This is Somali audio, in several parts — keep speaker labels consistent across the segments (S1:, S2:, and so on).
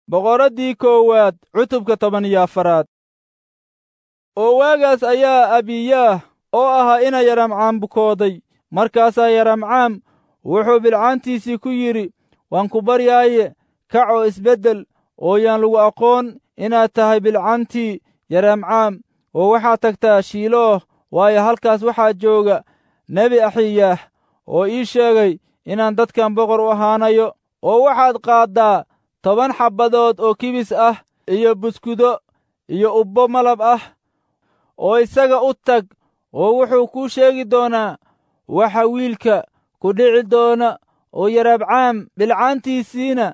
S1: Boqoraddii koowaad cutubka 14aad. Oo waagaas ayaa Abiyaah oo ahaa ina Yaramcaam bukooday. Markaasaa Yaramcaam wuxuu bilcaantiisii ku yidhi, "Waan ku baryaaye, kac oo isbeddel, oo yaan lagu aqoon inaad tahay bilcaantii Yaramcaam, oo waxaad tagtaa Shiilooh, waayo halkaas waxaa jooga nebi Axiyaah oo ii sheegay inaan dadkan boqor u ahaanayo. Oo waxaad qaaddaa 10 xabbadood oo kibis ah iyo buskudo iyo ubbo malab ah, oo isaga u tag, oo wuxuu kuu sheegi doonaa waxa wiilka ku dhici doona." Oo Yarabcaam bilcaantiisiina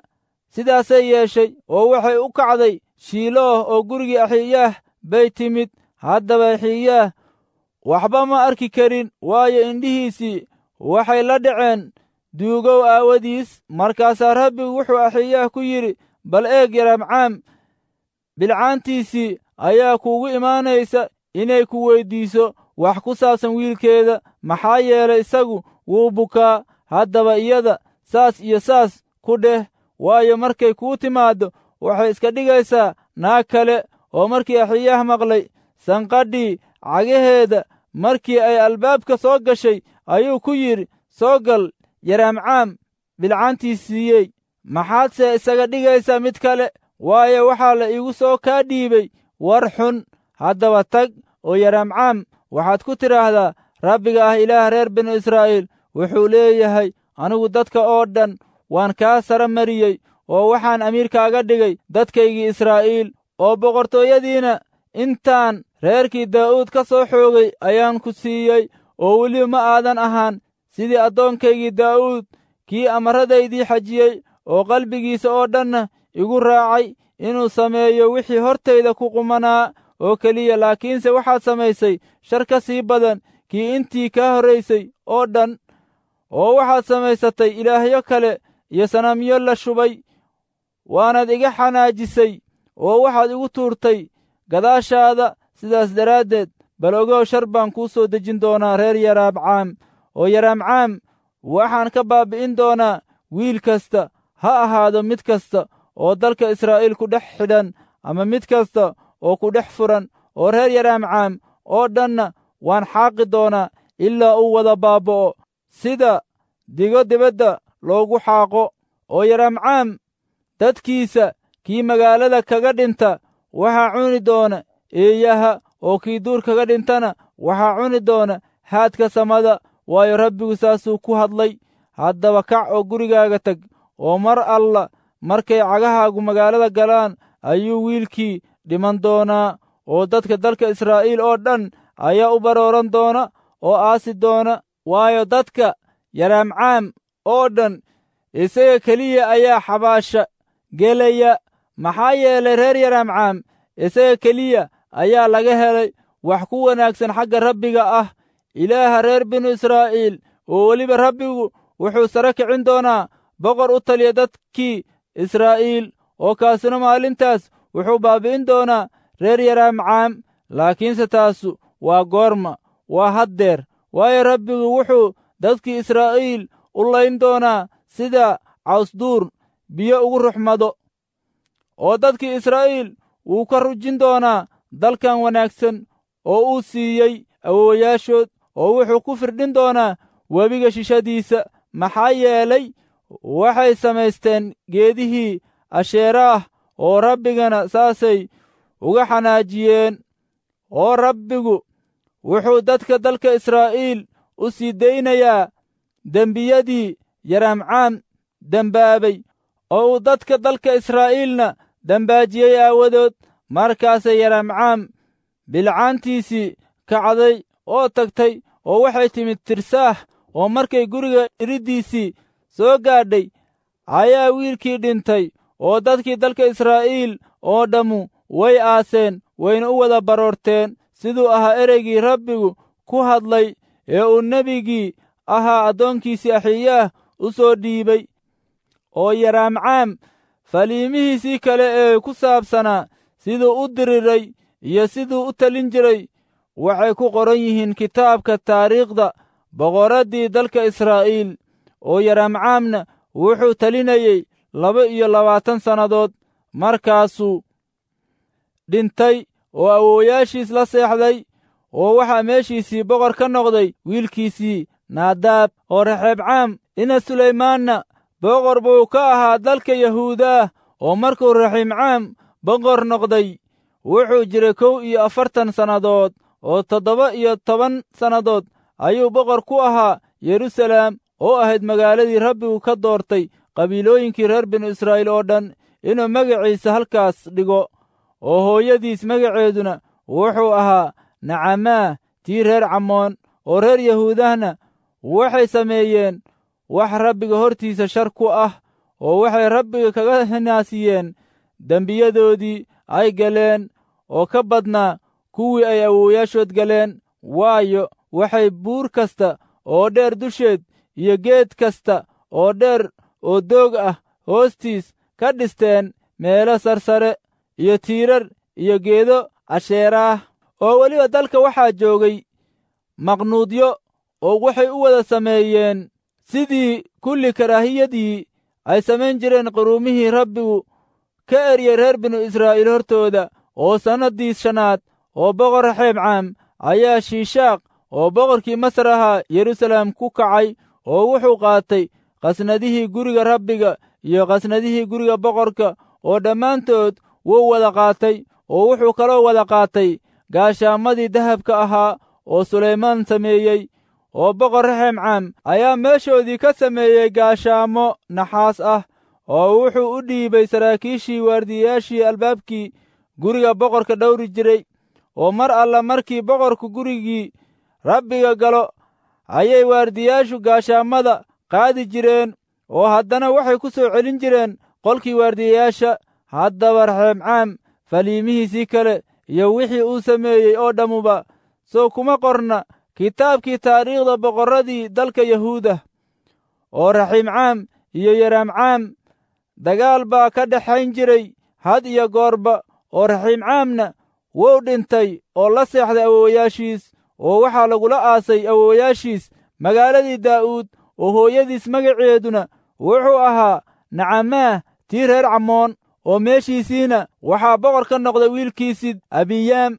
S1: sidaasay yeeshay, oo waxay u kacday Shiilooh oo gurigii Axiyaah bay timid. Haddaba Axiyaah waxba ma arki karin, waayo indhihiisii waxay la dhaceen duugow aawadiis. Markaasaa Rabbigu wuxuu Axiyaah ku yidhi, "Bal eeg, Yarabcaam bilcaantiisii ayaa kuugu imaanaysa inay ku weyddiiso wax ku saabsan wiilkeeda, maxaa yeelay isagu wuu bukaa. Haddaba iyada saas iyo saas ku dheh, waayo markay kuu timaaddo waxay iska dhigaysaa naag kale." Oo markii Axiyaah maqlay sanqadhii cagaheeda markii ay albaabka soo gashay, ayuu ku yidhi, "Soo gal, Yaraamcaam bilcaantiisiiyey, maxaadse isaga dhigaysaa mid kale? Waayo, waxaa la iigu soo kaa dhiibay war xun. Haddaba tag oo Yaraamcaam waxaad ku tidhaahdaa, Rabbiga ah Ilaah reer binu Israa'iil wuxuu leeyahay, anigu dadka oo dhan waan kaa sara mariyey, oo waxaan amiirkaaga dhigay dadkaygii Israa'iil, oo boqortooyadiina intaan reerkii Daa'uud ka soo xoogay ayaan ku siiyey, oo weliba ma aadan ahaan sidii addoonkaygii Daa'uud, kii amarradaydii xajiyey oo qalbigiisa oo dhanna igu raacay inuu sameeyo wixii hortayda ku qumanaa oo keliya. Laakiinse waxaad samaysay shar ka sii badan kii intii kaa horraysay oo dhan, oo waxaad samaysatay ilaahyo kale iyo sanamyo la shubay, waanaad iga xanaajisay oo waxaad igu tuurtay gadaashaada. Sidaas daraaddeed bal ogow, shar baan kuu soo dejin doonaa reer Yaraabcaam, oo Yaraamcaam waxaan ka baabbi'in doonaa wiil kasta, ha ahaado mid kasta oo dalka Israa'iil ku dhex xidhan ama mid kasta oo ku dhex furan, oo reer Yaraamcaam oo dhanna waan xaaqi doonaa ilaa uu wada baaba'o sida digo dibadda loogu xaaqo. Oo Yaraamcaam dadkiisa kii magaalada kaga dhinta waxaa cuni doona eeyaha, oo kii duur kaga dhintana waxaa cuni doona haadka samada, waayo Rabbigu saasuu ku hadlay. Haddaba kac oo gurigaaga tag, oo mar alla markay cagahaagu magaalada galaan ayuu wiilkii dhiman doonaa, oo dadka dalka Israa'iil oo dhan ayaa u barooran doona oo aasi doona, waayo dadka Yaraamcaam oo dhan isaga keliya ayaa xabaasha gelaya, maxaa yeelay reer Yaraamcaam isaga keliya ayaa laga helay wax ku wanaagsan xagga Rabbiga ah Ilaaha reer binu Israa'iil. Oo weliba Rabbigu wuxuu sare kicin doonaa boqor u taliya dadkii Israa'iil, oo kaasina maalintaas wuxuu baabbi'in doonaa reer Yaraamcaam. Laakiinse taasu waa goorma? Waa haddeer. Waayo, Rabbigu wuxuu dadkii Israa'iil u layn doonaa sida cawsduur biyo ugu ruxmado, oo dadkii Israa'iil wuu ka rujin doonaa dalkan wanaagsan oo uu siiyey awoowayaashood, oo wuxuu ku firdhin doonaa webiga shishadiisa, maxaa yeelay waxay samaysteen geedihii Asheeraah, oo Rabbigana saasay uga xanaajiyeen. Oo Rabbigu wuxuu dadka dalka Israa'iil u sii daynayaa dembiyadii Yaraamcaam dembaabay, oo uu dadka dalka Israa'iilna dembaajiyey aawadood. Markaasay Yaraamcaam bilcaantiisii kacday oo tagtay, oo waxay timid Tirsaah, oo markay guriga iriddiisii soo gaadhay ayaa wiilkii dhintay, oo dadkii dalka Israa'iil oo dhammu way aaseen, wayna u wada baroorteen, siduu ahaa ereygii Rabbigu ku hadlay ee uu nebigii ahaa addoonkiisii Axiyaah u soo dhiibay. Oo Yaraamcaam faliimihiisii kale ee ku saabsanaa siduu u diriray iyo siduu u talin jiray waxay ku qoran yihiin kitaabka taariikhda boqoraddii dalka Israa'iil. Oo Yaraamcaamna wuxuu talinayey 22 sannadood. Markaasuu dhintay oo awoowayaashiis la seexday, oo waxaa meeshiisii boqor ka noqday wiilkiisii Naadaab. Oo Raxeebcaam ina Sulaymaanna boqor buu ka ahaa dalka Yahuudaah. Oo markuu Raxiimcaam boqor noqday wuxuu jiray 41 sannadood, oo 17 sannadood ayuu boqor ku ahaa Yeruusaalem, oo ahayd magaaladii Rabbigu ka doortay qabiilooyinkii reer binu Israa'iil oo dhan inuu magaciisa halkaas dhigo. Oo hooyadiis magaceeduna wuxuu ahaa Nacamaah tii reer Camoon. Oo reer Yahuudahna waxay sameeyeen wax Rabbiga hortiisa shar ku ah, oo waxay Rabbiga kaga hinaasiyeen dembiyadoodii ay galeen oo ka badnaa kuwii ay awoowayaashood galeen. Waayo, waxay buur kasta oo dheer dusheed iyo geed kasta oo dheer oo doog ah hoostiis ka dhisteen meelo sarsare iyo tiirar iyo geedo asheeraah. Oo weliba dalka waxaa joogay maqnuudyo, oo waxay u wada sameeyeen sidii kulli karaahiyadii ay samayn jireen quruumihii Rabbigu ka eryay reer binu Israa'iil hortooda. Oo sannaddii shanaad oo boqor Raxeebcaam ayaa Shiishaaq oo boqorkii Masar ahaa Yeruusaalem ku kacay, oo wuxuu qaatay qasnadihii guriga Rabbiga iyo qasnadihii guriga boqorka, oo dhammaantood wuu wada qaatay. Oo wuxuu kaloo wada qaatay gaashaamadii dahabka ahaa oo Sulaymaan sameeyey. Oo boqor Raxeemcaam ayaa meeshoodii ka sameeyey gaashaamo naxaas ah, oo wuxuu u dhiibay saraakiishii waardiyayaashii albaabkii guriga boqorka dhowri jiray. Oo mar alla markii boqorku gurigii Rabbiga galo ayay waardiyaashu gaashaamada qaadi jireen, oo haddana waxay ku soo celin jireen qolkii waardiyayaasha. Haddaba Raxeemcaam faliimihiisii kale iyo wixii uu sameeyey oo dhammuba soo kuma qorna kitaabkii taariikhda boqorradii dalka Yahuuda. Oo Raxiimcaam iyo Yaraamcaam dagaal baa ka dhexayn jiray had iyo goorba. Oo Raxiimcaamna wuu dhintay oo la seexday awoowayaashiis, oo waxaa lagula aasay awoowayaashiis magaaladii Daa'uud. Oo hooyadiis magaceeduna wuxuu ahaa Nacamaah tii reer Camoon. Oo meeshiisiina waxaa boqor ka noqday wiilkiisii Abiyaam.